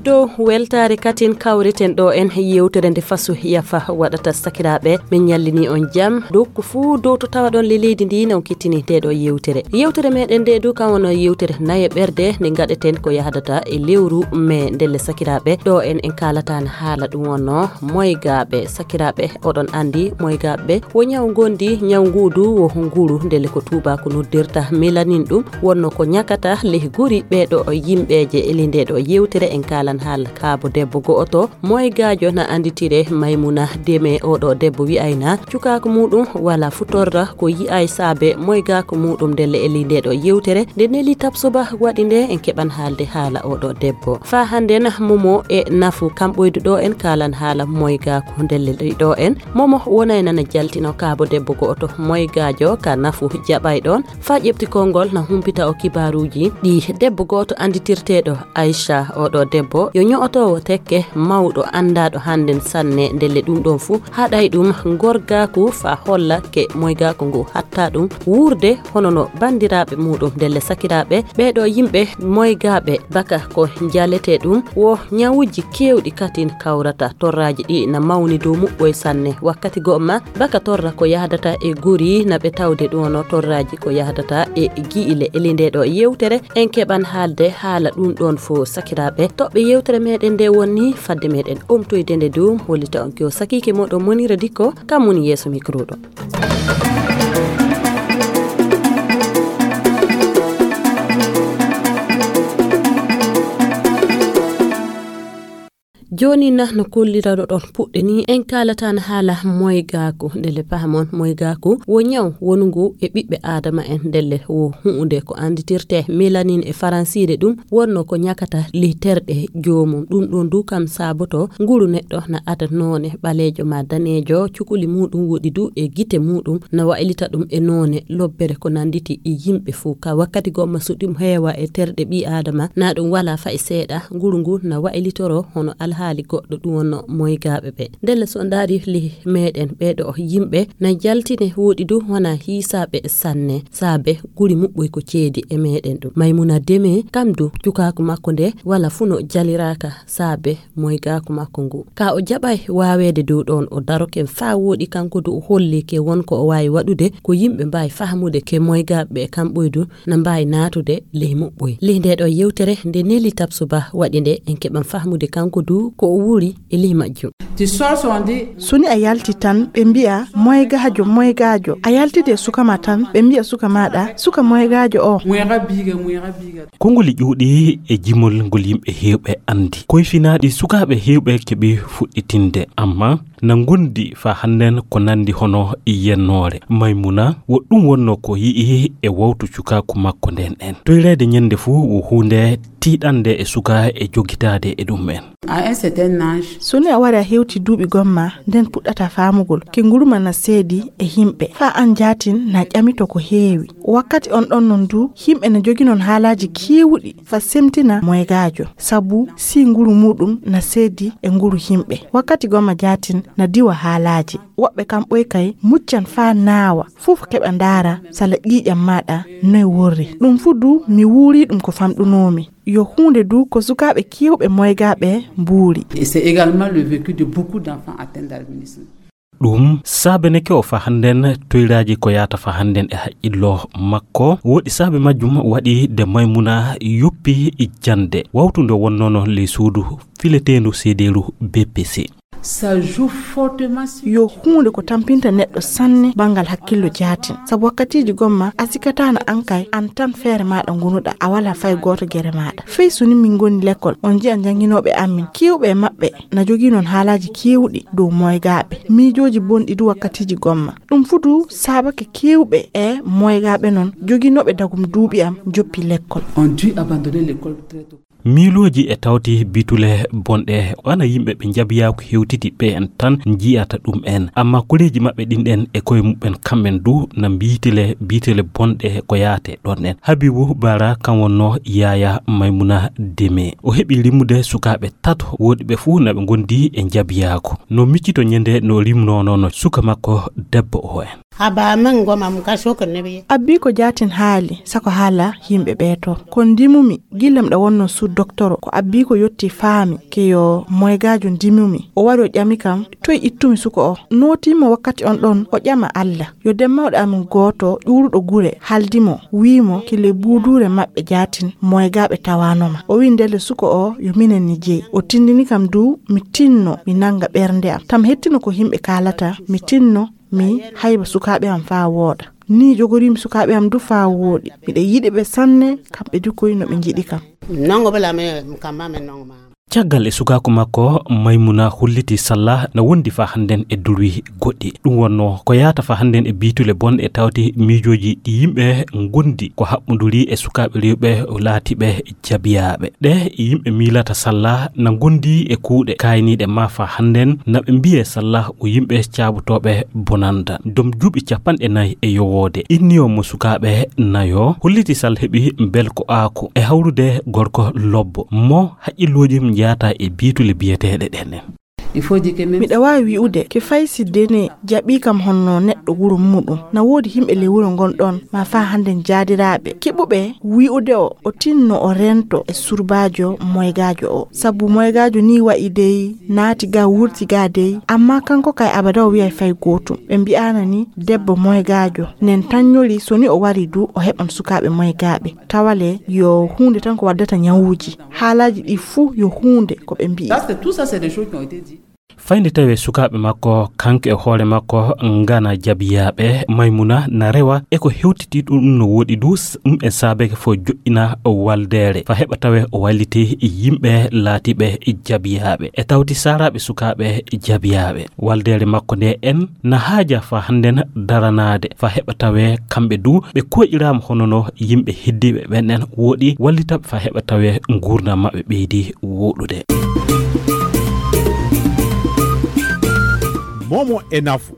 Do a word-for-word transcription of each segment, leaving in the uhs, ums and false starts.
Dow weltaare katin kawriten ɗo en yewtere nde faso yafa waɗata sakiraaɓe. Min ñallini on jam. Dow ko fuu dow to tawaɗon le leydi ndi na on kettini nde ɗo yewtere. Yewtere meɗen nde du kan wono yewtere naye ɓerde nde gaɗeten ko yahdata e lewru me ndelle sakiraaɓe. Ɗo en en kaalatan haala ɗum wonno moygaaɓe sakiraaɓe. Oɗon anndi moygaaɓe wo ñaw ngondi, ñaw ngu du wo nguru ndelle ko tuubaaku noddirta melanin ɗum. Wonno ko ñakata leh guri ɓeeɗo yimɓeeje eli nde ɗo yewtere en kaalan haala kaabo debbo go'oto moygaajo na annditire Maymuna Deme. Oɗo debbo wi'ayna cukaaku muɗum wala fu torra ko yi'ay saabe moygaaku muɗum ndelle eli nde ɗo yewtere nde neli tabsoba waɗi nde en keɓan haalde haala oɗo debbo. Faa hannden momo e nafu kam ɓoydu ɗo en kaalan haala moygaaku ndelle ɗo en. Momo wonay nana jaltino kaabo debbo go'oto moygaajo ka nafu jaɓay ɗon. Faa ƴeɓti konngol na humpita o kibaaruuji ɗi debbo gooto annditirteeɗo Aisha. Oɗo debbo yo ño'otoowo tekke mawɗo anndaaɗo hannden sanne ndelle ɗum ɗon fuu haɗay ɗum ngorgaaku faa holla ke moygaaku ngu hatta ɗum wuurde hono no banndiraaɓe muɗum ndelle sakiraaɓe ɓeeɗo yimɓe moygaaɓe baka ko njaletee ɗum wo ñawuuji keewɗi katin kawrata torraaji ɗi na mawni dow muɓɓoy sanne wakkati go'o ma baka torra ko yahdata e guri na ɓe tawde ɗum wono torraaji ko yahdata e gi'ile eli nde ɗo yewtere en keɓan haalde haala ɗum ɗon fof sakiraaɓe toɓɓe yewtere meɗen nde wonni fadde meɗen omtoyde nde du hollita on ko sakiike moɗon monira dikko kam woni yeeso micro ɗo. Jooni na no kollirano ɗon puɗɗe ni en kaalatan haala moygaaku ndelle pahamon moygaaku wo ñaw wonungu e ɓiɓɓe aadama en ndelle wo huunde ko annditirte melanin e faransiire ɗum wonno ko ñakata ley terɗe joomum ɗum ɗon du kam saaboto nguru neɗɗo na ada noone ɓaleejo ma daneejo cukuli muɗum woɗi du e gite muɗum na waylita ɗum e noone lobbere ko nannditi e yimɓe fof ka wakkati gomma so ɗum heewa e terɗe ɓii aadama na ɗum wala fay seeɗa nguru ngu na waylitoro hono alhaali goɗɗo ɗum wonno moygaaɓe ɓe ndelle so ndaari li meɗen ɓeɗo yimɓe na jaltine woɗi du wona hiisaaɓe sanne saabe guri muɓɓoy ko ceedi e meɗen ɗum maymuna deme kam du cukaaku makko nde wala fuu no jaliraaka saabe moygaaku makko ngu ka o jaɓay waaweede dow ɗoon o daroke faa wooɗi kanko du o holli ke won ko o waawi waɗude ko yimɓe mbaawi fahmude ke moygaaɓe ɓe kam ɓoydu na mbaawi naatude ley muɓɓoy ley nde ɗo yewtere nde neli tabsuba waɗi nde en keɓan fahmude kanko du ko o wuuri e ley majjum. So ni a yalti tan ɓe mbi'a moygaajo moygaajo a yaltide e suka ma tan ɓe mbi'a suka maɗa suka moygaajo o. Konngoli ƴuuɗi e jimol ngol yimɓe heewɓe anndi koyfinaaɗi sukaaɓe heewɓe keɓi fuɗɗitinde amma na ngondi faa hannden ko nanndi hono yennoore maymuna wo ɗum wonno ko yi'i e wawtu cukaaku makko nden en toyreede ñannde fuu wo huunde tiiɗannde e suka e jogitaade e ɗum en. So ni a wari a hewti duuɓi gomma nden puɗɗata faamugol ke nguruma na seedi e yimɓe faa an jaatin na ƴamito ko heewi wakkati on ɗon non du yimɓe na joginon haalaaji keewuɗi faa semtina moygaajo sabu si nguru muɗum na seedi e nguru yimɓe wakkati gomma jaatin na diwa haalaaji woɓɓe kam ɓoy kay muccan faa naawa fof keɓa ndaara sala ƴiiƴam maɗa noy worri ɗum fuu du mi wuuri ɗum ko famɗunoomi yo huunde du ko sukaaɓe keewɓe moygaaɓe mbuuri. Ɗum saabeneke o faa hannden toyraaji ko yahata faa hannden e haqqillo makko woɗi saabe majjum waɗi de maymuna yoppi jannde wawtu nde wonnono ley suudu fileteendu seedeeru bpc. Yo huunde ko tampinta neɗɗo sanne banngal hakkillo jaatin sabu wakkatiiji gomma a sikataana an kay an tan feere maaɗa ngonuɗa a walaa fay gooto gere maaɗa fey so ni min ngoni lekkol on njiya njannginooɓe amin keewɓe e maɓɓe na jogii noon haalaaji keewɗi dow moygaaɓe miijooji bonɗi du wakkatiiji gomma ɗum fuu du saabake keewɓe e moygaaɓe noon joginooɓe dagum duuɓi am joppi lekkol. Miilooji e tawti bitule bonɗe ana yimɓe ɓe njabiyaaku hewtiti ɓe en tan njiyata ɗum en amma koreeji maɓɓe ɗin ɗen e koye muɓɓen kamɓen du na mbiitile biitele bonɗe ko yaate ɗon en habibu bara kan wonno yaya maymuna deme o heɓi limude sukaaɓe tato woɗi ɓe fuu na ɓe ngondi e njabiyaaku no miccito ñande no rimnonono suka makko debbo o en. Aba men goma mu ka shoka ne bi. Abbi ko jaatin haali, sako haala yimɓe ɓee to. Ko ndimumi, gila miɗa wonno sous docteur, ko abbi ko yotti faami, ke yo moygaajo ndimumi. O wari o ƴami kam, toy ittumi suko o? Nootimo wakkati on ɗon, o ƴama Alla. Yo den mawɗo amin gooto, ƴuuruɗo gure, haldi mo, wi'i mo, kile buuduure maɓɓe jaatin, moygaaɓe tawaano ma. O wi'i ndelle suko o, yo minen ni jeyi. O tindini kam du, mi tinno, mi nanga ɓernde am. Tam hettino ko yimɓe kaalata, mi tinno, mi hayba sukaaɓe am faa wooɗa. Ni jogoriimi sukaaɓe am du faa wooɗi. Miɗa yiɗi ɓe sanne, kamɓe du koy no ɓe njiɗi kam. Nongo bala me, kamma me nongo ma. Caggal e sukaaku makko, Maymuna holliti Salla na wondi faa hannden e durwi goɗɗi. Ɗum wonnoo ko yaata faa hannden e biitule bonɗe tawti miijooji ɗi yimɓe ngondi ko haɓɓunduri e sukaaɓe rewɓe laatiiɓe jabiyaaɓe. Ɗe yimɓe miilata Salla na ngondi e kuuɗe kaayniiɗe ma faa hannden na ɓe mbiyee Salla o yimɓe caabotooɓe bonanda. Dom juuɓi capanɗe nayi e yowoode. Inniyo mo sukaaɓe nayo, holliti Sal heɓi belko aako e hawrude gorko lobbo mo haqqillooji mum njaata e biitule biyeteeɗe ɗen. Miɗa waawi wi'ude ke fay si dene jaɓii kam honno neɗɗo wuro muuɗum. Na woodi yimɓe ley wuro ngon ɗon, ma faa hannden jaadiraaɓe. Keɓuɓe wi'ude o, o tinno o rento e surbaajo moygaajo o. Sabu moygaajo ni wa'i dey, naati ga, wurti ga dey. Amma kanko kay abada o wi'ay fay gootum. Ɓe mbi'aana ni debbo moygaajo. Nen tannyori so ni o wari du, o heɓan sukaaɓe moygaaɓe. Tawale yo huunde tan ko waddata nyawuuji. Haalaaji ɗi fuu yo huunde ko ɓe mbi'i. Ça, c'est, tout ça, c'est des choses qui ont été dites. Fayde tawee sukaaɓe makko, kanko e hoore makko, ngana jabiyaaɓe, Maymuna na rewa e ko hewtiti ɗum no woɗi du, s-, ɗum en saabeke fof joɗɗina waldeere. Fa heɓa tawee o walliti yimɓe laatiiɓe jabiyaaɓe. E tawti saaraaɓe sukaaɓe jabiyaaɓe. Waldeere makko nde en na haaja fa hannden daranaade. Fa heɓa tawee kamɓe du ɓe koƴiraama hono no yimɓe heddiiɓe ɓen en woɗi wallitaɓe fa heɓa tawee nguurndam maɓɓe ɓeydi woɗude. Momo e nafu.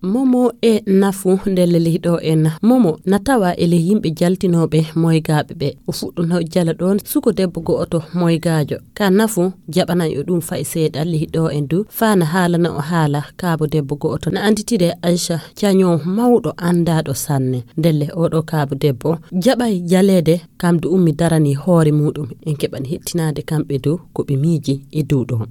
Momo e nafu ndelle leyɗo en. Momo na tawa e ley yimɓe jaltinooɓe moygaaɓe ɓe. O fuɗɗuno jala ɗoon suko debbo go'oto moygaajo. Ka nafu jaɓana yo ɗum fay seeɗa leyɗo en du. Faa na haalana o haala kaabo debbo go'oto. Na annditire Aysa caño mawɗo anndaaɗo sanne. Ndelle oɗo kaabo debbo jaɓay jaleede. Kam du ummi darani hoore muuɗum. En keɓan hettinaade kamɓe du ko ɓe miiji e dow ɗoon.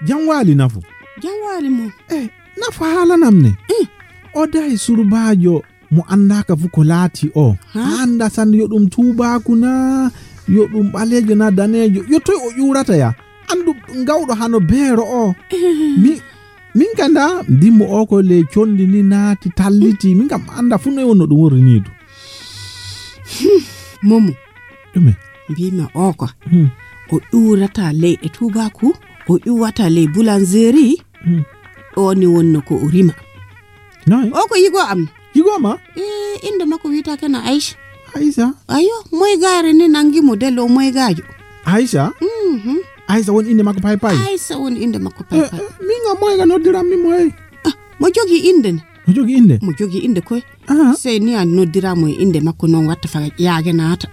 Jam waali nafu. Jam waali mo. Eh, nafu haalanam ne. Eh. O dahi surbaajo mo anndaaka fu ko laati o. Ha? A annda sannde yo ɗum tuubaaku na, yo ɗum ɓaleejo na daneejo. Yo toy o ƴuurata ya. Anndu ngawɗo hano beero o. Eh. Mi, min ka nda ndimmo o ko ley condi ni naati talliti. Min kam annda fu noy wonno ɗum worri ni du. Hmm, Momo. Ɗume? Mbimi o ko. Hmm. O ƴuurata leyɗe tuubaaku, o ƴuwata ley boulangerie. Hmm. Ɗo ni wonno ko o rima. Noy? O ko yigo am. Yigo ma? E, innde makko wiyetee kena Aïcha. Aïcha? Ayo, moygaare ni nangi mo delle o moygaajo. Aïcha? Mhm. Aïcha woni innde makko pay pay? Aïcha woni innde makko pay pay. Eh, eh, min nga moyga noddiran mi moy. Ah, mo jogi innde ne? Mo jogi innde? Mo jogi innde koy. Aha. Sey ni a noddiraa mo e innde makko noon watta fa yaage naata.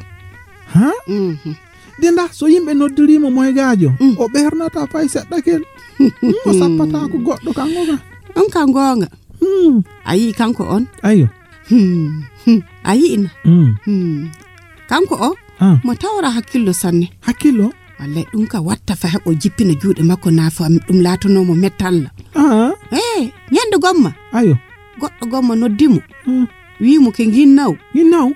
Ha? Mhm. De ndah so yimɓe noddirii mo moygaajo, mm, o ɓernata fay seɗɗa kel. Mm, o sappataa ko goɗɗo kanko ka. On ka goonga. Mm. A yi'i kanko on? Ayo. Hmm, hmm. A yi'i na? Mm. Hmm. Kanko o, ah, mo tawra hakkillo sanne. Hakkillo? Wallay ɗum ka watta fa heɓo jippina juuɗe makko na fa ɗum laatanoo mo mettalla. Ah. Eh, ñande gomma. Ayo. Goɗɗo gomma noddi mo. Hmm. Wii mo ke ginnaw. Ginnaw?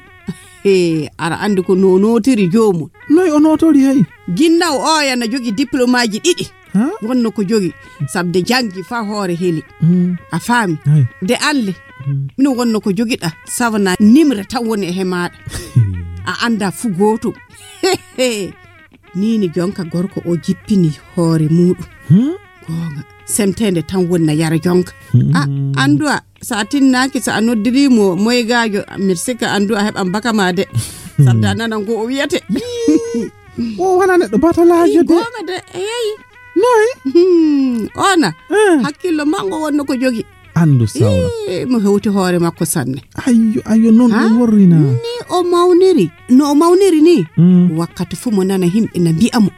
He, ara anndi ko no nootiri joomum. Noy o nootori hey? Ginnaw o yana jogi diplomaaji ɗiɗi. Ha? Wonno ko jogi. Sabde janngi fa hoore heli. Hmm. A faami? Hay. De anle. Hmm. Mino wonno ko jogiɗa. Sawana nimre tan woni e he maaɗa. A annda fu gootum. He, he. Nii ni jonka gorko o jippini hoore muuɗum. Hmm? Goonga. Semteende tan woni na yara jonka. Hmm. A, anndu a, so a tinnaaki, so a noddirii mo moygaajo, mbiɗa sikka anndu a heɓan baka ma de. Hmm. Sabda nana ngo o wiyete. Yii. O wona neɗɗo batalaajo de. Goonga de, eey. Noy? Hmm, ona. Eh. Hakkillo mango wonno ko jogi. Anndu sawra. Ii, mo hewti hoore makko sanne. Ayyo, ayyo, noon ɗum worri na. Ni o mawniri. No o mawniri ni, mm, wakkati fof mo nana yimɓe na mbi'a mo.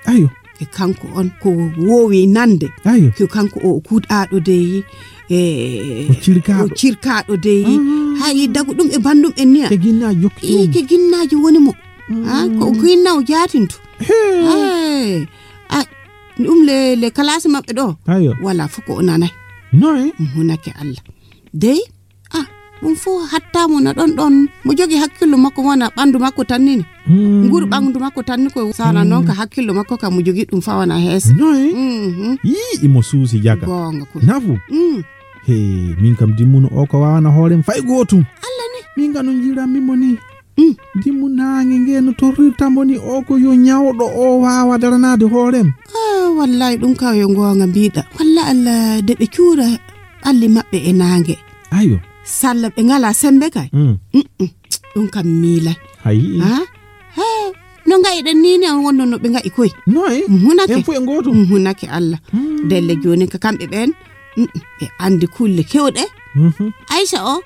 Ayyo. Kanko on ko woowi nande. Ayo. Ko kanko o kuuɗaaɗo dey, e, o cirkaaɗo. O cirkaaɗo dey. Ah. Hay dagu ɗum e banndum en niya. Ke ginnaaji jokki ɗum. Ke ginnaaji woni mo. Mm. Ah, ko ginnaw jaatinto. Hey. Hey. Ah, ɗum le, le kalaasi maɓɓe ɗo. Ayo. Wala fof ko o nanay. Noy? Hunake Allah. Dey, ah, ɗum fof hatta mo na ɗon ɗon. Mo jogi hakkillo makko wona ɓanndu makko tanni ni. Mm. Nguru ɓanndu makko tanni ko sana noon ka hakkillo makko ka mo jogi ɗum fawana hees. Noy? Mhm. Yii, imo suusi jaga. Goonga ko. Nafu. Mm. He, min kam dimmuno o ko wawana hoorem fay gootum. Allah ni. Min kam no njiranmi mo ni. Mm. Dimmu naange nge no torrirta mo ni o ko yo ñawɗo o waawa daranaade hoorem. Ah, wallahi ɗum ka yo goonga mbiɗa. Walla Allah de ɓe cuura ɓalli maɓɓe e naange. Ayo. Salla ɓe ngala sembe kay. Mm. Mm-mm. Ɗum kam miilay. Hayi. Ha? Ha? No ngayiɗen ni ne wonno no ɓe ngayi koy. Noy? Hunake. En fof e gootum. Hunake Allah. Hmm. Delle jooni ka kamɓe ɓen. Mm-mm. Ɓe andi kulle kewɗe. Mhm. Aisha o,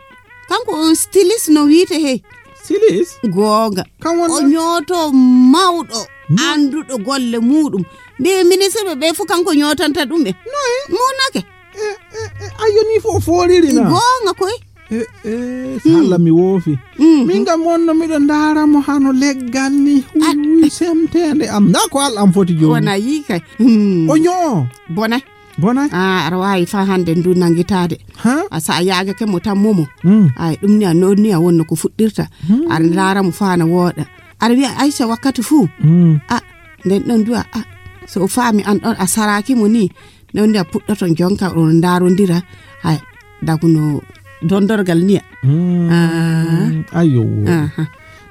kanko on stylist no wiite he. Stylist? Goonga. Kan wonno? O ñooto mawɗo, no? Annduɗo golle muuɗum. Mbi ministre ɓe ɓe fof kanko ñootanta ɗum ɓe. Noy? Munake. E, e, e, ayo ni fof o fooriri na? Goonga koy. E, e, hmm. Salla mi woofi. Hmm. Min kam wonno miɗo ndaara mo hano leggal ni. Huy, huy, semteende am. Nda ko al am foti jooni. Wona yii kay. Hmm. O ñoo. Bone. Bonay? Ah, aɗa waawi faa hannde ndu nanngitaade. Ha? A sa a yaagake mo tan momo. Mm. Ay, ɗum ni a noon ni a wonno ko fuɗɗirta. Mm. Aɗa ndaara mo faa na wooɗa. Aɗa wiya Aisha wakkati fuu. Mm. Ah, nden ɗon duwa. Ah, so o faami an ɗon a saraaki mo ni. Nden ndi a puɗɗoton jonka on ndaarondira. Ay, daguno dondorgal niya. Mm. Ah. Ayo. Aha.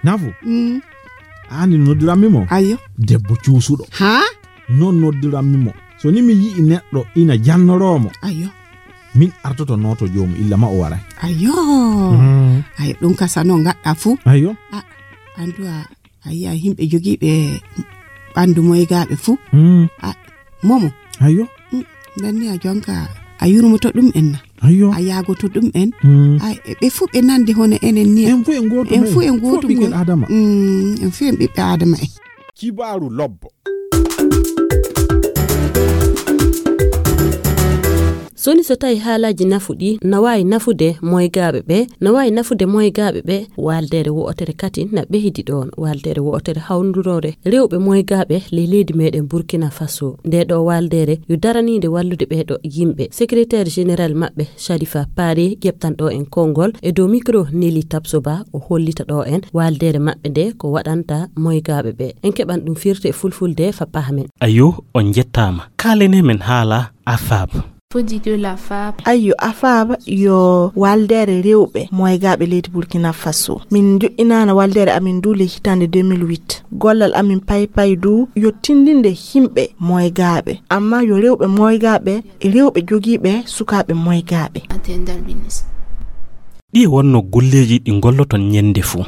Nafu. Mm. Ani noddirammi mo. Ayo. Debbo cuusuɗo. Ha? Non noddiranmi mo. So ni mi yi'i neɗɗo ina jannoroo mo. Ayo. Min artoto nooto joomu illa ma o waray. Ayo. Mm. Ayo, ɗum ka sano ngaɗɗa fuu. Ayo. A, andu a, a yi'a yimɓe jogiiɓe ɓandu moygaaɓe fuu. Mm. A, momo. Ayo. Mm, nden ni a jonka, a yurmoto ɗum en na. Ayo. A yaagoto ɗum en. Mm. A, e, ɓe fuu ɓe nandi hono enen ni. En fuu en gootum. En fuu en gootum. Fuu ɓiɓɓe Adama. Mm, en fuu en ɓiɓɓe Adama en. Kibaaru lobbo. Soni so tawi haalaaji nafu ɗi na waawi nafude moygaaɓe ɓe, na waawi nafude moygaaɓe ɓe, waaldeere wo'otere kadi na ɓehdi ɗoon, waaldeere wo'otere hawnduroore rewɓe moygaaɓe ley leydi meɗen Burkina Faso. Nde ɗo waaldeere yo daraniinde wallude ɓee ɗo yimɓe. Secrétaire général maɓɓe, Sharifa Paare, ƴeɓtanɗo en konngol e dow micro Nelly Tabsoba, o hollita ɗo en waaldeere maɓɓe nde ko waɗanta moygaaɓe ɓe. En keɓan ɗum firti e fulfulde fa pahmen. Ayo, on njettaama. Kaalene men haala AFAB. Faut dire que la fab. Ayo, AFAB yo waaldeere rewɓe moygaaɓe leydi Burkina Faso. Min njoƴƴinaana waaldeere amin ndu le hitaande deux mille huit. Gollal amin paypay du yo tindinde yimɓe moygaaɓe. Amma yo rewɓe moygaaɓe e rewɓe jogiiɓe sukaaɓe moygaaɓe. Atteindre le but. Ɗi wonno golleeji ɗi ngolloton ñande fuu.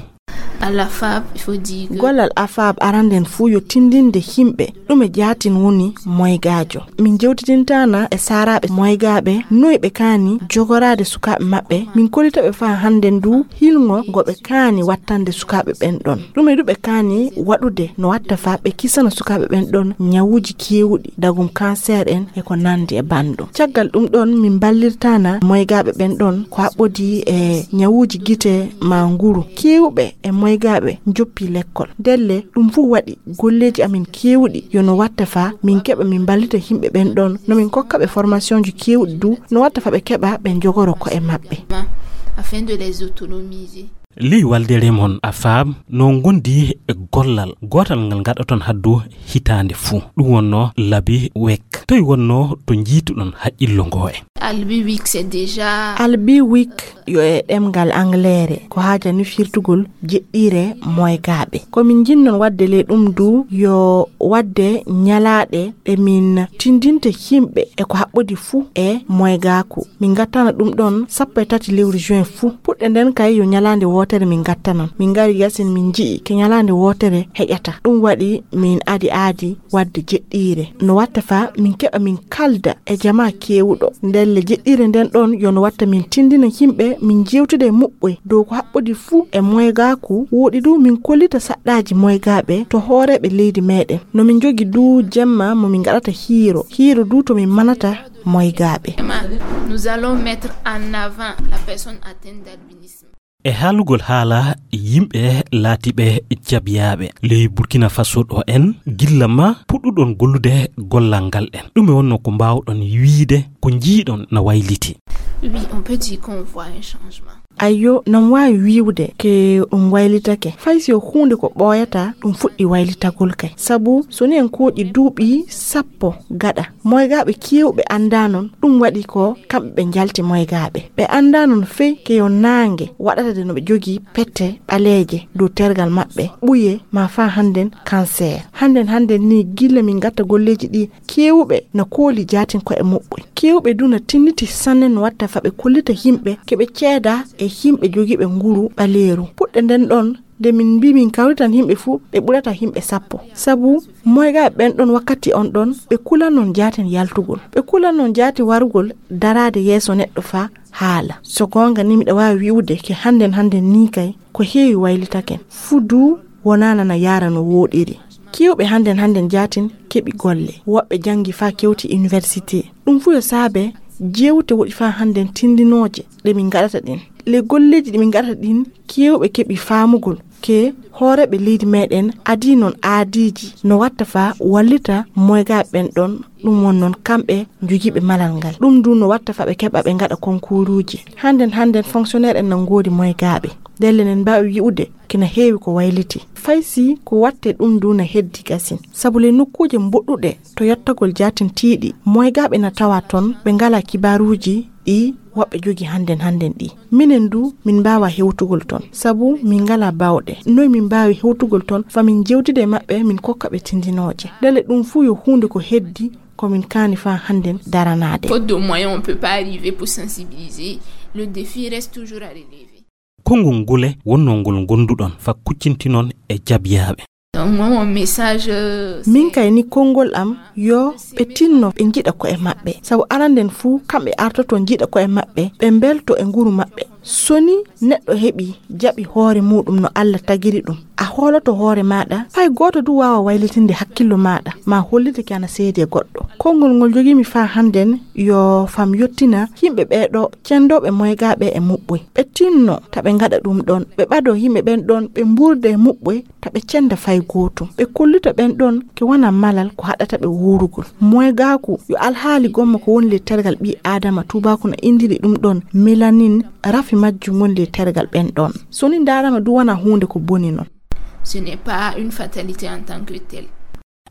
À la fab, il faut dire que gollal AFAB aranden fuu yo tindinde yimɓe. Ɗume jaatin woni moygaajo? Min jewtidintaana e saaraaɓe moygaaɓe, noy ɓe kaani jogoraade sukaaɓe maɓɓe. Min kollita ɓe faa hannden du hilngo ngo ɓe kaani wattande sukaaɓe ɓen ɗon. Ɗume du ɓe kaani waɗude no watta faa ɓe kisana sukaaɓe ɓen ɗon ñawuuji keewuɗi, dagum cancer en e ko nandi e banndum. Caggal ɗum ɗon, min mballirtaana moygaaɓe ɓen ɗon ko haɓɓodii e ñawuuji gite maa nguru. Keewuɓe e moygaaɓe njoppi lekkol. Ndelle, ɗum fuu waɗi golleeji amin keewuɗi yo no watta faa min keɓa min mballita yimɓe ɓen ɗon, no min kokka ɓe formationji keewuɗi du, no watta faa ɓe keɓa ɓe njogoro ko'e maɓɓe. Afin de les autonomiser. Ley waaldeere mon AFAB no ngondi e gollal gootal ngal ngaɗoton haddu hitaande fuu. Ɗum wonno Labi Wek. Toy wonno to njiituɗon haqqillo ngo e? Albi Week, c'est déjà Albi Week yo e ɗemngal Angleere, ko haajani firtugol jeɗɗiire moygaaɓe. Ko min njinnon waɗde ley ɗum du yo waɗde ñalaaɗe ɗe min tindinta yimɓe e ko haɓɓodi fuu e moygaaku. Min ngattana ɗum ɗon sappo e tati lewru juin fuu. Puɗɗe nden kay yo ñalaande wootere min ngattanon. Min ngari yasin min nji'i ke ñalaande wootere heƴata. Ɗum waɗi min adi aadi waɗde jeɗɗiire. No watta faa min keɓa min kalda e jamaa keewuɗo. Nden Golle jeɗɗire nden ɗon yo no watta min tindina yimɓe, min jewtida e muɓɓoy dow ko haɓɓodi fuu e moygaaku. Woɗi du min kollita saɗɗaaji moygaaɓe to hooreeɓe leydi meɗen. No min jogi du jemma mo min gaɗata hiiro, hiiro du to min manata moygaaɓe. Nous allons mettre en avant la personne atteinte d'albinisme. E haalugol haala yimɓe laatiiɓe jabiyaaɓe ley Burkina Faso ɗo en, gilla ma puɗɗuɗon gollude gollal ngal en, ɗume wonnoo ko mbaawɗon wiide ko njiiɗon na wayliti? Oui, on peut dire qu'on voit un changement. Ayyo, nan waawi wi'ude ke ɗum waylitake. Fay si o huunde ko ɓooyata, ɗum fuɗɗi waylitagol kay. Sabu so ni en kooƴi duuɓi sappo gaɗa, moygaaɓe keewɓe anndaa non ɗum waɗi ko kamɓe ɓe njalti moygaaɓe. Ɓe anndaa non fey ke yo naange waɗata de no ɓe jogii pette ɓaleeje dow tergal maɓɓe, ɓuye ma faa hannden kanseer. Hannden hannden ni gilla min ngatta golleeji ɗi, keewɓe na kooli jaatin ko'e muɓɓoy. Keewɓe du na tinniti sanne no watta fa ɓe kollita yimɓe ke ɓe ceeda e yimɓe jogiiɓe nguru ɓaleeru. Puɗɗe nden ɗon, nde min mbii min kawritan yimɓe fuu, ɓe ɓurata yimɓe sappo. Sabu moygaaɓe ɓen ɗon wakkati on ɗon, ɓe kulan non jaatin yaltugol. Ɓe kulan non jaatin warugol daraade yeeso neɗɗo faa haala. So goonga ni miɗa waawi wi'ude ke hannden hannden ni kay, ko heewi waylitake. Fuu du wonaana na yaara no wooɗiri. Keewɓe hannden hannden jaatin keɓi golle. Woɓɓe janngi faa kewti université. Ɗum fuu yo saabe jewte woɗi faa hannden tindinooje ɗe min ngaɗata ɗin. Ley golleeji ɗi min ngaɗata ɗin, keewɓe keɓi faamugol ke hooreeɓe leydi meɗen adii non aadiiji no watta faa wallita moygaaɓe ɓen ɗon. Ɗum won non kamɓe jogiiɓe malal ngal. Ɗum du no watta faa ɓe keɓa ɓe ngaɗa konkuuruuji. Hannden hannden fonctionnaire en na ngoodi moygaaɓe. Ndelle nen mbaawi wi'ude kina heewi ko wayliti. Fay si ko watte ɗum du na heddi gasin. Sabu ley nokkuuje mboɗɗuɗe to yottagol jaatin tiiɗi, moygaaɓe na tawa ton, ɓe ngalaa kibaaruuji ɗi woɓɓe jogi hannden hannden ɗi. Minen du, min mbaawaa hewtugol ton, sabu min ngalaa baawɗe. Noy min mbaawi hewtugol ton, faa min jewtida e maɓɓe, min kokka ɓe tindinooje? Ndelle ɗum fuu yo huunde ko heddi, ko min kaani faa hannden daranaade. Faute de moyens, on peut pas arriver pour sensibiliser. Le défi reste toujours à relever. Konngol ngule wonnoo ngol ngonduɗon faa kuccintinon e jabiyaaɓe? Donc, moi, mon message, euh, min c'est kay ni konngol am yo ɓe tinno ɓe njiɗa ko'e maɓɓe. Sabu aranden fuu kamɓe artoto njiɗa ko'e maɓɓe, ɓe mbelto e nguru maɓɓe. So ni neɗɗo heɓi jaɓi hoore muuɗum no Alla tagiri ɗum, a hooloto hoore maaɗa, fay gooto du waawa waylitinde hakkillo maaɗa, maa hollitake ana seedi e goɗɗo. Konngol ngol jogiimi faa hannden yo fam yottina yimɓe ɓee ɗoo cenndooɓe moygaaɓe e muɓɓoy. Ɓe tinno ta ɓe ngaɗa ɗum ɗon, ɓe ɓadoo yimɓe ɓen ɗon, ɓe mbuurda e muɓɓoy ta ɓe cennda fay gootum. Ɓe kollita ɓen ɗon ke wona malal ko haɗata ɓe wuurugol. Moygaaku yo alhaali gomma ko woni ley tergal ɓii Aadama, tuubaaku na inndiri ɗum ɗon mélanine, rafi majjum woni ley tergal ɓen ɗon. So ni ndaarama du wona huunde ko boni non. Ce n'est pas une fatalité en tant que telle.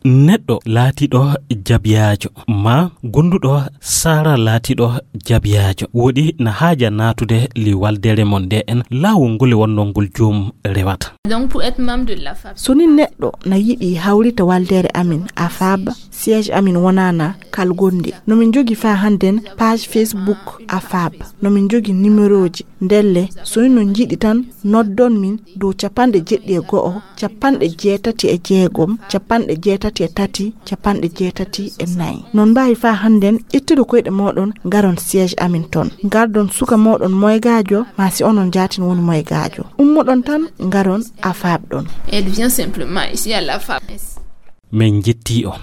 Neɗɗo laatiiɗo jabiyaajo maa gonduɗo saara laatiiɗo jabiyaajo woɗi na haaja naatude li waldere mon nde en laawol ngol e wonnoo ngol joom rewata. Donc, pour être membre de la fab. So ni neɗɗo na yiɗi hawrita waldere amin, afab, siège amin wonaana kalgonde. No min jogi faa hannden page Facebook afab. No min jogi numéroji. Ndelle, so ni no njiɗi tan, noddon min dow capanɗe jeɗɗi e go'o, capanɗe jeetati e jeegom, capanɗe jeetati e tati, capanɗe jeetati e nayi. Non mbaawi faa hannden ƴettude koyɗe mooɗon, ngaron siège amin ton. Ngardon suka mooɗon moygaajo, maa si onon jaatin woni moygaajo. Ummoɗon tan, ngaron afab ɗon. Elle vient simplement ici à la fab. Min njettii on.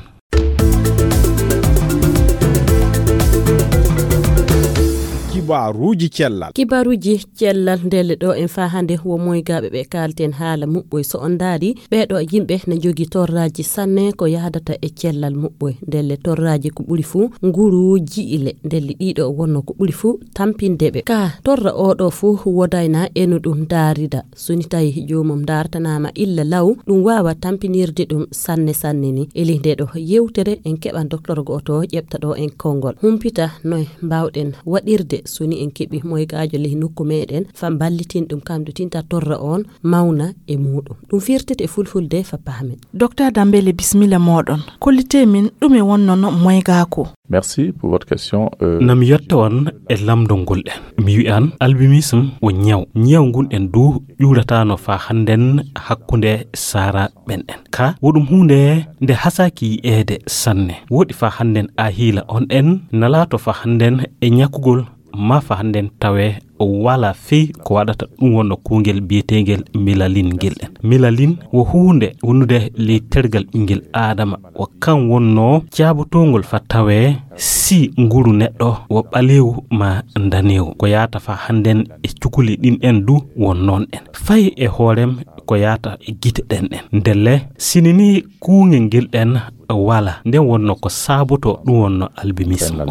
Kibaruuji cellal. Kibaruuji cellal ndelle ɗo en faa hannde wo moygaaɓe ɓe kaalten haala muɓɓoy. So on ndaari, ɓee ɗo yimɓe ne njogii torraaji sanne ko yahdata e cellal muɓɓoy. Ndelle torraaji ko ɓuri fuu nguru ji'ile. Ndelle ɗiɗo wonno ko ɓuri fuu tampinde ɓe. Ka torra oo ɗo fuu wodayna eno ɗum ndaarida. So ni tawi joomum ndaartanaama illa law, ɗum waawa tampinirde ɗum sanne sanne ni. Eli nde ɗo yewtere en keɓan docteur gooto ƴeɓta ɗo en konngol. Humpita noy mbaawɗen waɗirde So ni en keɓi moygaajo ley nokku meɗen, fa mballitin ɗum kam du tinta torra on mawna e muɗum. Ɗum firtete e fulfulde fa paamen. Docteur Dambele, bismilla moɗon. Kollite min ɗume wonnono moygaaku? Merci pour votre question. Euh, Nam yetta on e lamdo ngol ɗen. Mi wi'an albinisme wo ñaw. Ñaw ngun ɗen du ƴuuratano fa hannden hakkunde saara ɓen ɗen. Ka wo ɗum huunde nde hasaki yi'eede sanne. Woɗi fa hannden a hiila on ɗen nalato fa hannden e ñakugol ma fa hannden tawe wala fey ko waɗata ɗum wonno kungel biyeteengel milalin ngel ɗen. Milalin wo huunde wonnude ley tergal ɓingel Aadama. Wo kan wonno jaabotongol fa tawe si nguru neɗɗo wo ɓaleewu ma ndaneewu. Ko yaata fa hannden e cukuli ɗin ɗen du won noon ɗen. Fay e hoorem ko yaata e gite ɗen ɗen. Ndelle, sini ni kuungel ngel ɗen wala, nden wonno ko saaboto ɗum wonno albinisme.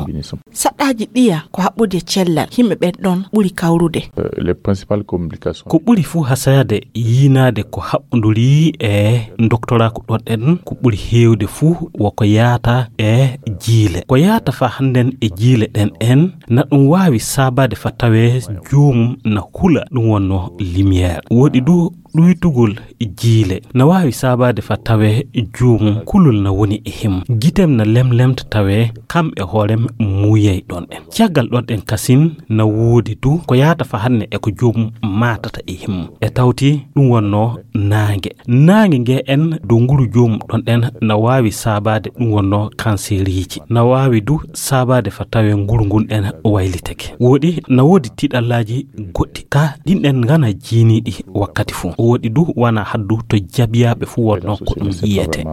Saɗɗaaji ɗiya ko haɓɓude e cellal, yimɓe ɓen ɗon ɓuri kawrude. Euh, les principales complications. Ko ɓuri fuu hasayade yiinaade ko haɓɓunduri e doktoraaku ɗon ɗen, ko ɓuri heewde fuu wo ko yaata e jiile. Ko yaata fa hannden e jiile ɗen en, na ɗum waawi saabaade fa tawee joomum na hula ɗum wonno lumière. Woɗi du ɗuytugol jiile na waawi saabaade fa tawee joomum kulol na woni e him. Gitem na lemlemta tawee kam e hoorem muuyay ɗon ɗen. Caggal ɗon ɗen kasin na woodi du ko yaata fa hanne e ko joomum maatata e him. E tawti ɗum wonno naange. Naange nge en dow nguru joomum ɗon ɗen na waawi saabaade ɗum wonno kanseeriiji. Na waawi du saabaade fa tawee nguru ngun ɗen waylitake. Woɗi na woodi tiɗallaaji goɗɗi. Ka ɗin ɗen ngana jiiniiɗi wakkati fuu. Woɗi du wana haddu to jabiyaaɓe fuu wonno ko ɗum yiyete.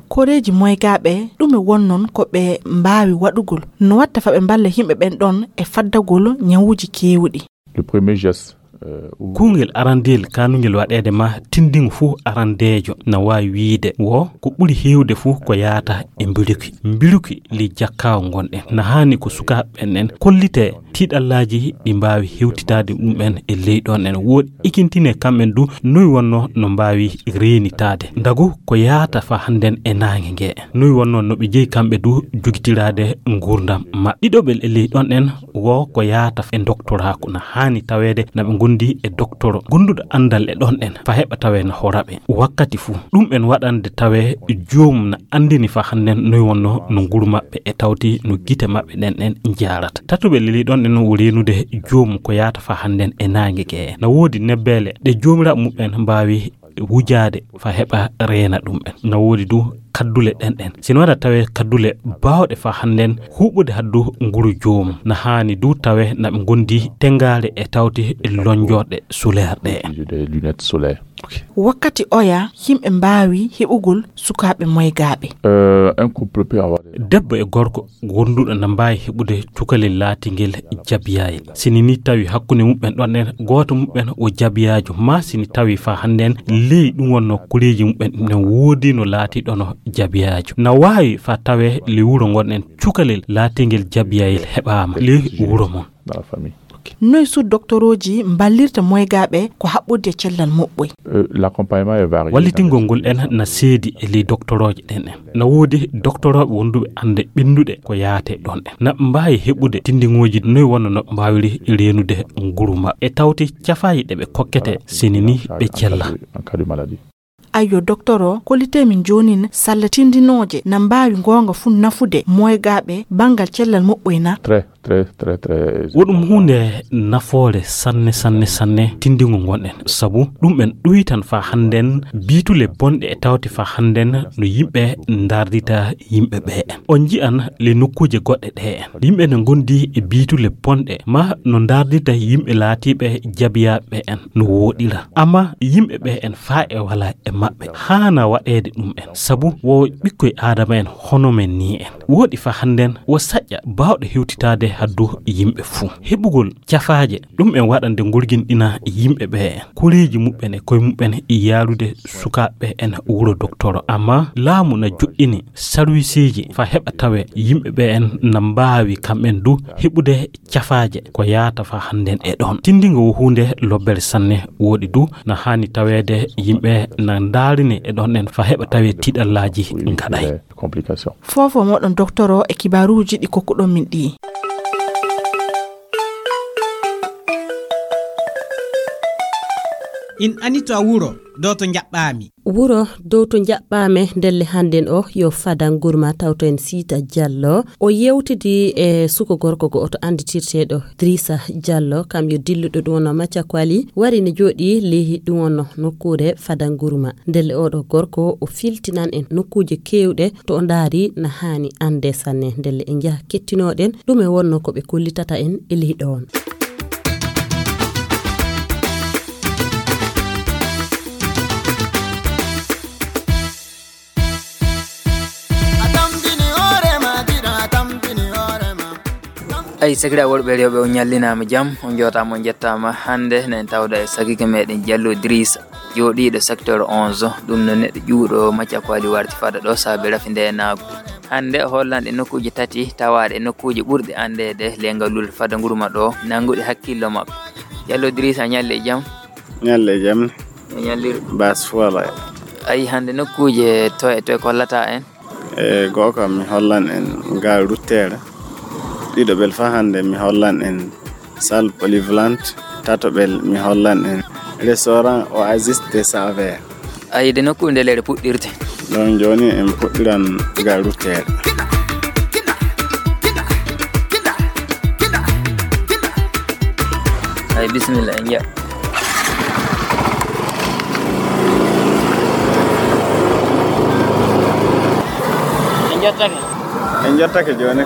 Koreeji moygaaɓe, ɗume wonnon ko ɓe mbaawi waɗugol? No watta fa ɓe mballa yimɓe ɓen ɗon e faddagol ñawuuji keewuɗi? Le premier geste, euh, ou- Kuungel arandeel kaanungel waɗeede ma tinndingu fuu arandeejo na waawi wiide wo ko ɓuri heewde fuu ko yaata e mbiruki. Mbiruki ley jakkaawo ngonɗen. Na haani ko sukaaɓe ɓen en kollite tiiɗallaaji ɗi mbaawi hewtitaade ɗum en e ley ɗon en. Woɗi ikintine kamɓen du noy wonno no mbaawi reenitaade. Ndagu ko yaata fa hannden e naange nge. Noy wonno no ɓe jeyi kamɓe du jogitiraade nguurndam maɓɓe. Ɗiɗoɓel e ley ɗon en wo ko yaata e doktoraaku na haani taweede na ɓe ngondi e doktoro gonduɗo anndal e ɗon en fa heɓa tawee na hora ɓe wakkati fuu. Ɗum en waɗande tawee joomum na anndini fa hannden noy wonno no nguru maɓɓe e tawti no gite maɓɓe ɗen ɗen njaarata. Tatuɓe leli ɗon ɗen wo reenude joomum ko yaata fa hannden e naange ke. Na woodi nebbeele ɗe joomiraaɓe muɓɓen mbaawi wujaade fa heɓa reena ɗum en. Na woodi du kaddule ɗen ɗen. Si no waɗa tawee kaddule baawɗe fa hannden huuɓude haddu nguru joomum. Na haani du tawee na ɓe ngondi tengaare e tawti lonjorɗe solaire ɗe en. Des lunettes solaires. Ok. Wakkati oya, yimɓe mbaawi heɓugol sukaaɓe moygaaɓe. Euh, un couple peut avoir des- Debbo e gorko wonduɗo na mbaawi heɓude cukalel laatingel jabiyayel. Sini ni tawi hakkunde muɓɓen ɗon en gooto muɓɓen o jabiyaajo, ma sini tawi fa hannden ley ɗum wonno kuleeji muɓɓen ɗum ɗen woodi no laatiɗono jabiyaajo. Na waawi fa tawee ley wuro ngonɗen cukalel laatingel jabiyayel heɓaama ley wuro mon. Dans la famille. Ok. Noy su doktorooji mballirta moygaaɓe ko haɓɓude e cellal moɓɓoy? Euh, l'accompagnement est varié. Wallitingol ngol en na seedi e ley doktorooje ɗen en. Na woodi doktorooɓe wonduɓe annde ɓennduɗe ko yaate ɗon en. Na ɓe mbaawi heɓude tinndingooji noy wonno no ɓe mbaawiri reenude nguru maɓɓe. E tawti cafaaji ɗe ɓe kokkete sini ni ɓe cella. En cas de maladie. Ayyo, doktoro, kollite min joonin salla tinndinooje na mbaawi ngoonga fuu nafude moygaaɓe banngal cellal moɓɓoy na? Très, très, très, très. Wo ɗum huunde nafoore sanne, sanne, sanne tinndingo ngonɗen. Sabu ɗum en ɗuytan fa hannden biitule bonɗe e tawti fa hannden no yimɓe ndaardita yimɓe ɓe en. On nji'an le nokkuuje goɗɗe ɗe en. Yimɓe ne ngondi e biitule bonɗe ma no ndaardita yimɓe laatiiɓe jabiyaaɓe en no wooɗira. Amma yimɓe ɓe en faa e wala e maɓɓe. Haana waɗeede ɗum en. Sabu wo ɓikkoy Aadama en hono men ni en. Woɗi fa hannden wo saƴƴa baawɗo hewtitaade haddu yimɓe fuu. Heɓugol cafaaje ɗum en waɗande ngurginɗina yimɓe ɓe en. Koreeji muɓɓen e koye muɓɓen e yaarude sukaaɓe en wuro doktoro. Amma laamu na joɗɗini sarwiisiiji fa heɓa tawe yimɓe ɓe en na mbaawi kamɓen du heɓude cafaaje ko yaata fa hannden e ɗon. Tinndingo wo huunde lobbere sanne woɗi du na haani taweede yimɓe na ndaarini e ɗon en fa heɓa tawe tiiɗallaaji ngaɗay. Complication. Foofo moɗon doktoro e kibaaruuji ɗi kokkuɗon min ɗi. In ani to a wuro, dow to njaɓɓaami. Wuro dow to njaɓɓaame ndelle hannden o yo fada ngurma tawto en Siita Jallo. O yewtidi e suko gorko go oto annditirteeɗo Drisa Jallo, kam yo dilluɗo ɗum wonno Macca Kwali, wari ne jooɗi lehi ɗum wonno nokkuure fada ngurma. Ndelle oɗo gorko o filtinan en nokkuuje keewɗe to o ndaari na haani annde sanne. Ndelle en njaha kettinooɗen ɗum e wonno ko ɓe kollitata en e lehi ɗoon. Ay, sakiraaɓe worɓe e rewɓe, on ñallinaama jam, on njootaama, on njettaama. Hannde, na en tawda e sakiike meɗen Jallo Idrissa, jooɗiiɗo secteur onze, ɗum no neɗɗo ƴuwɗo Macca Kwali warti fada ɗo saabe rafi ndeenaagu. Hannde, o hollan en nokkuuje tati tawaaɗe e nokkuuje ɓurɗe anndeede ley ngalluure fada ngurma ɗo, nannguɗe hakkillo makko. Jallo Idrissa, a ñalli e jam? Ñalli e jam. A ñalliri. Baas fuu alaa. Ay, hannde nokkuuje toye e toye kollata en? E, go'o kam mi hollan en gare routière. Ɗiɗo ɓel fa hannde mi hollan en salle polyvalente. Tato ɓel mi hollan en restaurant Oasis des Saveurs. Ay, de nokkuure nde leyɗe puɗɗirte. Ɗon jooni en puɗɗiran gare routière. Ay, bisimilla, en njiya. En njottake. En njottake jooni.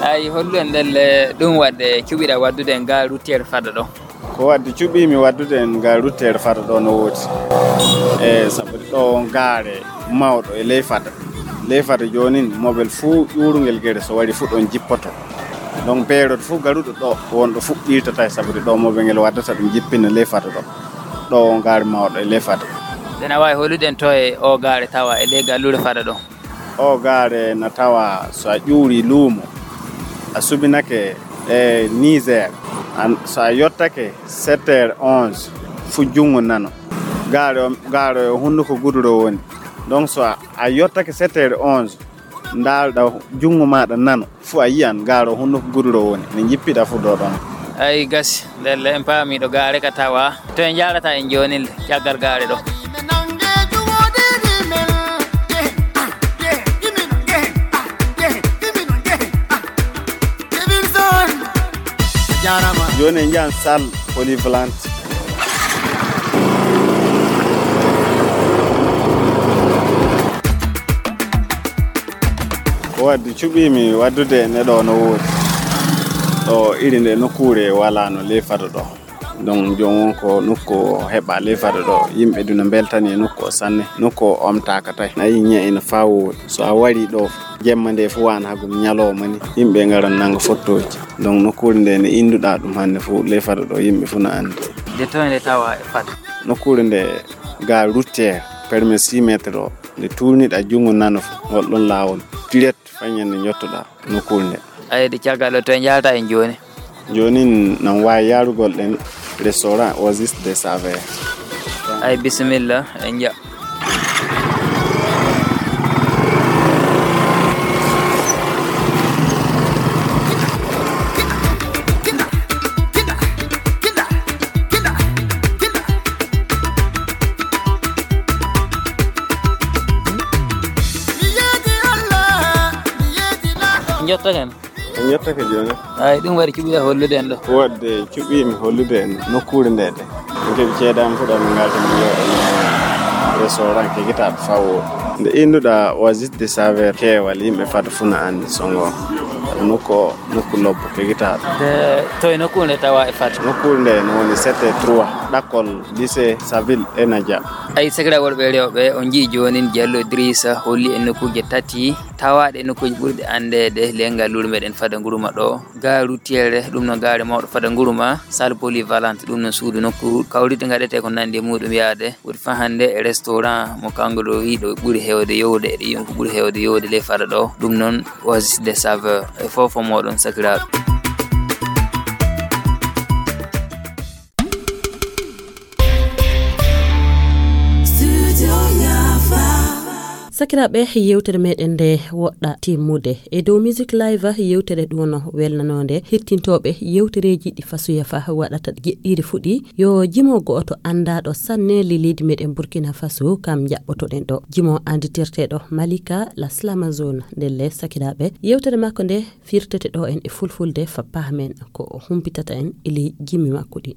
Ay, hollu en ndelle ɗum waɗde cuɓiɗa waɗdude en gare routière fada ɗo. Ko waɗde cuɓiimi waɗdude en gare routière fada ɗo no woodi. E sabu ɗo on gaare mawɗo e ley fada. Ley fada joonin mobel fuu ƴuurungel gere so wari fuu ɗon jippoto. Donc peerot fuu garuɗo ɗo wonɗo fuɗɗirtata e sabu ɗo mobel ngel waddata ɗum jippina ley fada ɗo. Ɗo on gaare mawɗo e ley fada. Ɗen a waawi hollude en to e o gaare tawa e ley galluure fada ɗo? O gaare na tawa so a ƴuuri luumo, a subinake e Niger, an-, so a yottake sept heures onze, fu junngo nano. Gaare o, gaare o hunnuko guduro woni. Donc so a, a yottake sept heures onze, ndaalɗa junngo maaɗa nano, fu a yiyan gaare o hunnuko guduro woni. Ne njippiɗa fu ɗo ɗon. Ay gasi, ndelle en paami ɗo gaare ka tawa. To en njaarata en jooni nde, caggal gaare ɗo. Jooni en njahan salle polyvalente. Ko waddi cuɓiimi waddude e ɗo no woodi. Ɗo iri nde nokkuure walaano ley fado ɗo. Donc, jooni won ko nokku o heɓa ley fado ɗo. Yimɓe duna mbeltani e nokku o sanne. Nokku o omtaaka tawi. Na yi ñe'e ina faa woodi. So a wari ɗo, jemma nde fu wana hagum ñalawma ni. Yimɓe ngaran nanga fottooji. Donc, nokkuure nde ne innduɗa ɗum hannde fu, ley fado ɗo, yimɓe fu na anndi. Nde toye nde tawa e fado? Nokkuure nde gare routière, permis six mètres o. Nde tuurniɗa junngo nano fu, ngol ɗon laawol. Direct, faa ñande njottoɗa nokkuure nde. Ayde caggal ɗo, to en njalta en jooni? Jooni nan waawi yaarugol ɗen restaurant Oasis des Saveurs. Ay, bisimilla, en nja. Njottaken. En njottake jooni. Ay, ɗum waɗi cuɓiɗa hollude en ɗo. Wadde cuɓiimi hollude en nokkuure nde de. Min keɓi ceede am fuɗa min ngarta min jooɗa restaurant kegitaaɗo fawo. Nde innduɗa Oasis de Saveur keewal yimɓe fada fuu na anndi songo. Nokku o, nokku lobbo kegitaaɗo. De toye nokkuure nde tawa e fada? Nokkuure nde no woni sept trois, ɗakkol lycée Saville e Nadia. Ay, sakiraaɓe worɓe e rewɓe, on njii joonin Jallo Idrissa holli en nokkuuje tati. Tawaaɗe e nokkuuji ɓurɗi anndeede ley ngalluure meɗen fada ngurma ɗo, gare routière, ɗum noon gaare mawɗo fada ngurma, salle polyvalente, ɗum noon suudu nokku kawrite ngaɗetee ko nanndi e muɗum yaade, woni fahannde e restaurant mo kanko ɗo wiiɗo ɓuri heewde yowde, e ɗi yimɓe ɓuri heewde yowde ley fada ɗo, ɗum noon Oasis de Saveur. E fof fof mooɗon sakiraaɓe. Sakiraaɓe, yewtere meɗen nde woɗɗa timmude. E dow Music Live, yewtere ɗum no welnanonde hettintooɓe yewtereeji ɗi Faso Yafa waɗata jeɗɗiire fuɗi. Yo jimo go'oto anndaɗo sanne le leydi meɗen Burkina Faso, kam jaɓɓotoɗen ɗo. Jimo anditirteɗo Malika la Slamazone. Ndelle, sakiraaɓe, yewtere makko nde firtete ɗo en e fulfulde fa pahmen ko o humpitata en e ley jimi makko ɗi.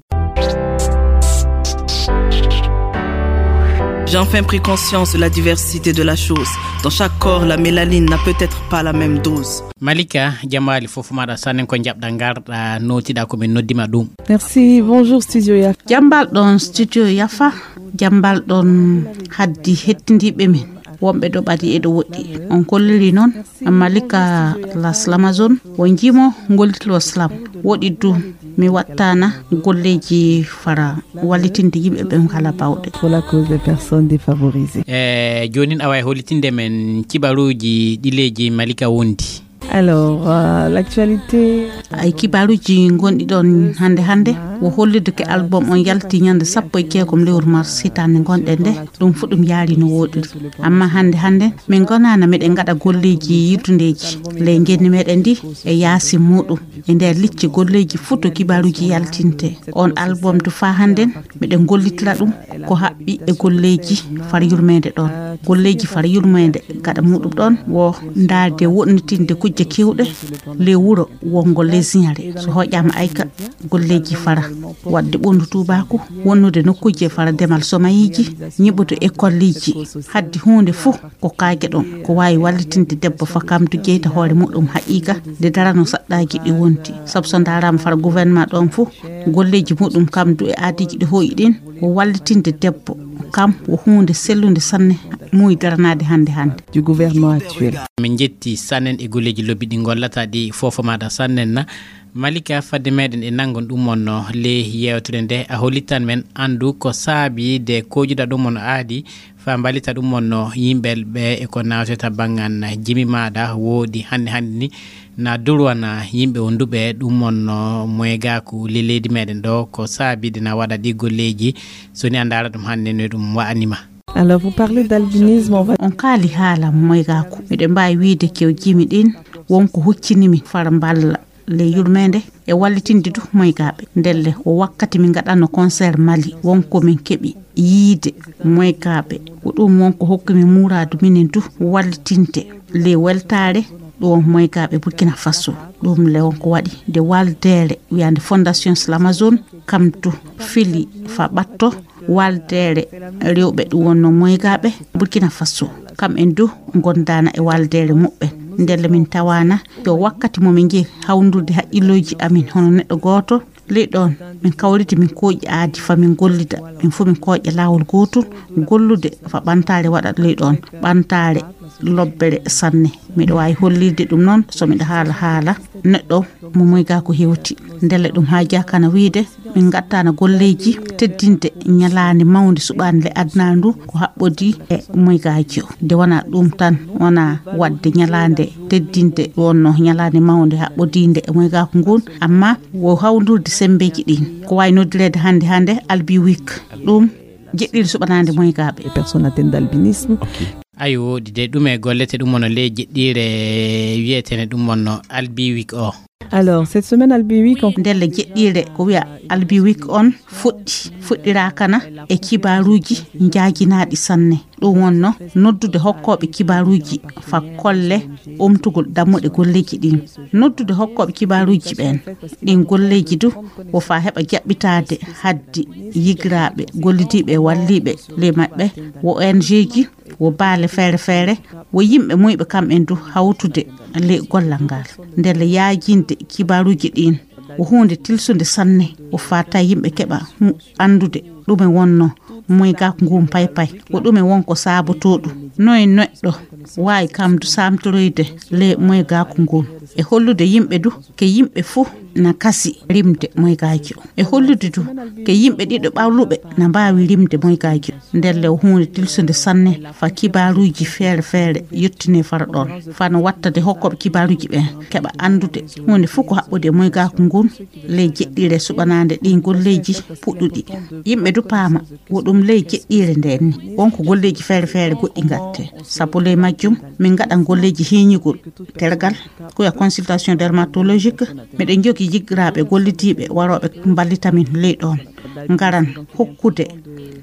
J'ai enfin pris conscience de la diversité de la chose. Dans chaque corps, la mélanine n'a peut-être pas la même dose. Malika, jamaali fof maɗa sannen ko jaɓɗa ngarɗa notiɗa ko min noddima ɗum. Merci, bonjour Studio Yafa. Jambal ɗon Studio Yafa, jambal ɗon haddi hettindiɓe min. Wonɓe ɗo ɓadi e ɗo woɗɗi. On kolliri noon Malika la Slamazone, wo jimo ngolitlo slam. Woɗi du mi wattana golleeji fara wallitinde yimɓe ɓen kala bawɗe. Pour la cause des personnes défavorisées. E joonin awa e hollitinde men kibaruuji ɗileeji Malika wondi. Alors, euh, l'actualité. Ay kibaruuji gonɗi ɗon hannde hannde, wo hollude ke album on yalti ñande sappo e jeegom lewru mars hitaande ngonɗen nde, ɗum fu ɗum yaari no woɗiri. Amma hannde hannde, min gonaana meɗen ngaɗa golleeji yiltundeeji ley ngenni meɗen ndi e yaasi muɗum. E nder licce golleeji fu to kibaruuji yaltinte. On album du faa hannden, meɗen gollitira ɗum ko haɓɓi e golleeji far yurmeende ɗon. Golleeji far yurmeende gaɗa muɗum ɗon wo ndaarde woɗnitinde kujje kewɗe ley wuro wongo lesiñare. So hoƴaama ayka golleeji fara waɗde ɓonndu tuubaaku, wonnude nokkuuje fara demal somayiiji, ñiɓude ekolliiji. Haddi huunde fuu ko kaage ɗon, ko waawi wallitinde debbo fa kamdu jeyta hoore muɗum haqiiqa, nde darano saɗɗaaji ɗi wonti. Sabu so ndaaraama fara gouvernement ɗon fuu, golleeji muɗum kamdu e aadiiji ɗi hooƴi ɗin, wo wallitinde debbo, kam wo huunde sellunde sanne, muuyi daranaade hannde hannde. Du gouvernement actuel. Min njetti sannen e golleeji lobbi ɗi ngollata ɗi foofo maɗa sannen na. Malika, fadde meɗen e nanngon ɗum on no le yewtere nde, a hollitan men anndu ko saabi de kojuɗa ɗum on aadi fa mballita ɗum on no yimɓe ɓe e ko nawteta banngan jimi maɗa woodi hannde hannde ni na durwana yimɓe wonduɓe ɗum on no moygaku le leydi meɗen ɗo, ko saabi de na waɗa ɗi golleeji, so ni a ndaara ɗum hannde no ɗum wa'anima. Alors, vous parlez d'albinisme, on va On kaali haala moygaku. Miɗen mbaawi wiide kew jimi ɗin wonko huccinimi fara mballa ley yurmeende e wallitinde du moygaaɓe. Ndelle ko wakkati min ngaɗanno concert Mali, wonko min keɓi yiide moygaaɓe. Ko ɗum wonko hokki min muuraadu minen du wallitinde ley weltaare ɗo moygaaɓe Burkina Faso. Ɗum le wonko waɗi nde waldeere wiyaande Fondation Slamazone, kam du fili fa ɓatto waldeere rewɓe ɗum wonno moygaaɓe Burkina Faso. Kam en du gondaana e waldeere muɓɓen. Ndelle min tawaana yo wakkati mo min njehi hawndurde haqqillooji amin hono neɗɗo gooto. Ley ɗon, min kawriti min kooƴi aadi fa min gollida. Min fuu min kooƴa laawol gootol, gollude fa ɓantaare waɗa ley ɗon. Ɓantaare lobbere sanne. Miɗo waawi hollirde ɗum noon, so miɗo haala haala neɗɗo mo moyga ko hewti. Ndelle ɗum haajaaka na wiide, min ngattaana golleeji teddinde ñalaande mawnde suɓaande le aduna ndu ko haɓɓodii e moygaaji o. Nde wonaa ɗum tan, wonaa waɗde ñalaande teddinde wonno ñalaande mawnde haɓɓodiinde e moygaaku ngun, amma wo hawndurde semmbeeji ɗin. Ko waawi noddireede hannde hannde Albi Week. Ɗum jeɗɗiire suɓanaande moygaaɓe. Les personnes atteintes d'albinisme. Ayo, woɗi de ɗum e gollete ɗum wonno ley jeɗɗiire wiyeteene ɗum wonno Albi Week o. Alors, cette semaine, Albi Week, on Ndelle jeɗɗiire ko wiya Albi Week on fuɗɗi, fuɗɗiraakana e kibaaruuji njaajinaaɗi sanne. Ɗum wonno noddude hokkooɓe kibaaruuji fa kolle omtugol dammuɗe golleeji ɗin. Noddude hokkooɓe kibaaruuji ɓeen. Ɗin golleeji du wo fa heɓa jaɓɓitaade haddi yigiraaɓe gollidiiɓe e walliiɓe ley maɓɓe, wo O N G ji, wo baale feere feere, wo yimɓe muyɓe kam en du hawtude ley gollal ngal. Ndelle yaajinde kibaaruuji ɗin wo huunde tilsunde sanne, wo fata yimɓe keɓa hu-, anndude ɗume wonno moygaaku ngun paypay, wo ɗume won ko saabotoo ɗum. Noye neɗɗo waawi kam du saamtoroyde ley moygaaku ngun e hollude yimɓe du ke yimɓe fuu na kasi rimde moygaaji o. E hollude du ke yimɓe ɗiɗo ɓawluɓe na mbaawi rimde moygaaji o. Ndelle wo huunde tilsunde sanne fa kibaaruuji feere feere yottinee fara ɗoon. Fa no wattade hokkooɓe kibaaruuji ɓeen keɓa anndude huunde fuu ko haɓɓodi e moygaaku ngun ley jeɗɗiire suɓanaande ɗiin golleeji puɗɗuɗi. Yimɓe du paama wo ɗum ley jeɗɗiire ndeen ni. Won ko golleeji feere feere goɗɗi ngal. Sabu ley majjum, min ngaɗan golleeji hiiñugol tergal, ko ya consultation dermatologique. Miɗen njogii yiggiraaɓe gollidiiɓe warooɓe mballita min ley ɗoon. Ngaran hokkude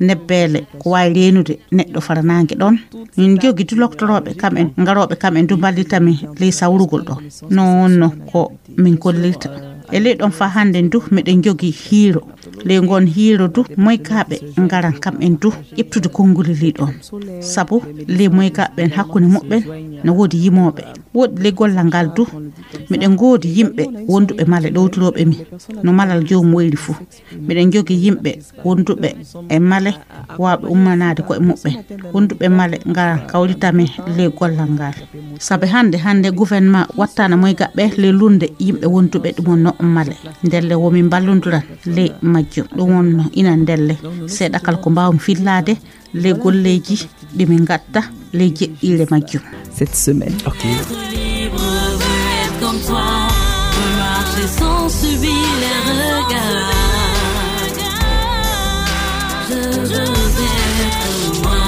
nebbeele ko waawi reenude neɗɗo fara naange ɗoon. Min njogii du loktorooɓe kam en, ngarooɓe kam en du mballita min ley sawrugol ɗoon. Noon wonno ko min kollirta. E ley ɗoon faa hannden du, miɗen njogii hiiro. Ley ngoon hiiro du, moykaaɓe ngaran kam en du ƴeftude konnguli ley ɗoon. Sabu ley moykaaɓe ɓen hakkunde muɓɓen no woodi yimooɓe. Woodi ley gollal ngal du, miɗen ngoodi yimɓe wonduɓe male ɗowtirooɓe mi, no malal joomum woyri fuu. Miɗen njogii yimɓe wonduɓe e male waawɓe ummanaade koye muɓɓen. Wonduɓe male ngaran kawrita mi ley gollal ngal. Sabu hannde, hannde gouvernement wattaana moygaɓɓe ley lunnde yimɓe wonduɓe ɗum wonno male. Ndelle wo min mballondiran ley majjum. Ɗum wonno ina ndelle seeɗa kala ko mbaawmi fillaade ley golleeji ɗi min ngatta ley jeɗɗiire majjum. Cette semaine. Ok. Être libre, être comme toi, marcher sans subir les regards. Je veux être moi.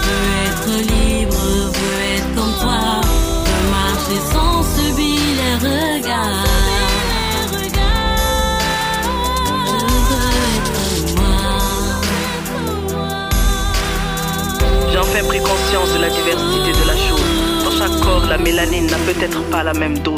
Veux être libre, veux être comme toi, veux marcher sans subir les regards. Je veux être moi. J'ai enfin pris conscience de la diversité de la chose. Dans chaque corps, la mélanine n'a peut-être pas la même dose.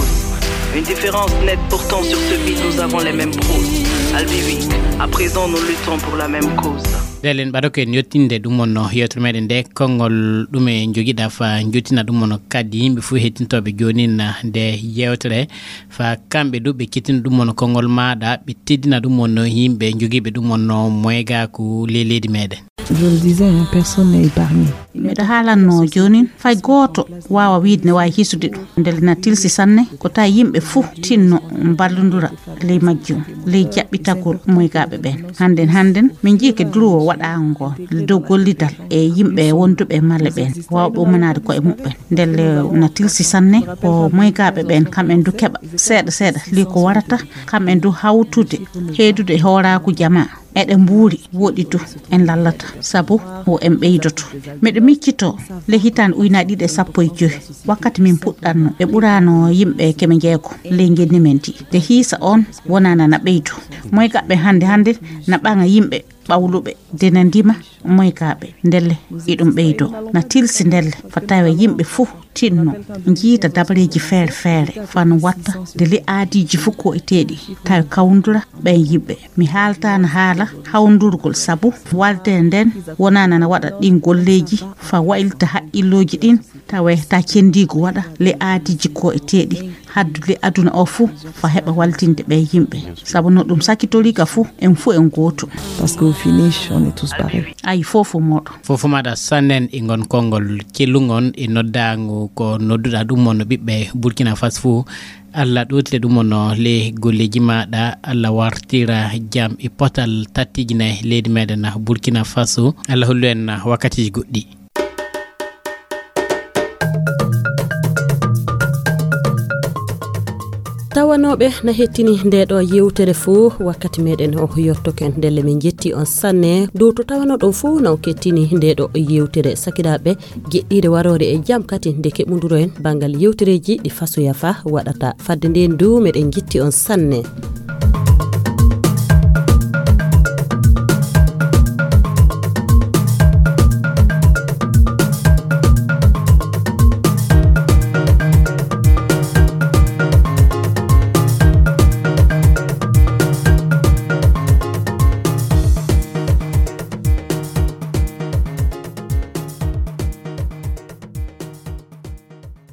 Une différence nette pourtant sur ce vide, nous avons les mêmes proses. Albiwi, à présent nous luttons pour la même cause. Ndelle en mbaɗa ko en yettinde ɗum wonno yewtere meɗen nde, konngol ɗume njogiɗa fa njottina ɗum wonno kadi yimɓe fof hettintooɓe jooni na nde yewtere fa kamɓe du ɓe kettina ɗum wonno konngol maɗa, ɓe teddina ɗum wonno yimɓe jogiiɓe ɗum wonno moygaku ley leydi meɗen. Je le disais, hein, personne n'est épargné. Miɗo haalanno joonin, fay gooto waawa wiide ne waawi hisude ɗum. Ndelle na tilsi sanne ko tawi yimɓe fuu tinno mballondura ley majjum, ley jaɓɓitagol moygaaɓe ɓeen. Hannden, hannden, min njii ke duruwo waɗaango ngo dow gollidal e yimɓe wonduɓe e male ɓeen, waawɓe ummanaade koye muɓɓen. Ndelle na tilsi sanne ko moygaaɓe ɓeen, kam en du keɓa seeɗa seeɗa ley ko warata, kam en du hawtude, heedude e hooraaku jamaa. Eɗen mbuuri, woɗɗi du en lallata, sabu wo en ɓeydoto. Miɗo miccitoo, ley hitaande ujunaaji ɗiɗi e sappo e joy, wakkati min puɗɗatno, ɓe ɓuraano yimɓe keme njeego ley ngenndi men ndi. Nde hiisa oon wonaana na ɓeydo. Moygaɓɓe hannde hannde na ɓaŋa yimɓe ɓawluɓe, de na ndima moygaaɓe. Ndelle iɗum ɓeydo. Na tilsi ndelle fa tawa yimɓe fuu tinno, njiita dabareeji feere feere, fano watta de ley aadiiji fuu ko e teeɗi, tawi kawndura ɓeen yimɓe. Mi haaltaano haala hawndurgol, sabu walde nden wonaana na waɗa ɗin golleeji fa waylita haqqillooji ɗin, tawa ta cenndiigu waɗa ley aadiiji ko e teeɗi, haddu ley aduna o fuu fa heɓa wallitinde ɓee yimɓe. Sabu no ɗum sakitorii ka fuu, en fuu en gooto. Parce qu'au finish, on est tous pareils. Ayi, fof fof mooɗo. Fof fof maɗa sannen e ngon konngol cellungon e noddaango ko nodduɗa ɗum mo no ɓiɓɓe Burkina Faso fuu. Allah ɗootire ɗum mo no le golleeji maɗa, Allah wartira jam e potal tattijine leydi meɗen Burkina Faso. Allah hollu en wakkatiji goɗɗi. Tawanooɓe na hettini nde ɗo yewtere fuu, wakkati meɗen o yottoken. Ndelle min jetti on sanne dow to tawanoɗon fuu na on kettini nde ɗo yewtere. Sakiraaɓe, jeɗɗiire waroore e jam kadi nde keɓunduroen banngal yewtereeji ɗi fasoya fa waɗata. Fadde nden du meɗen jetti on sanne.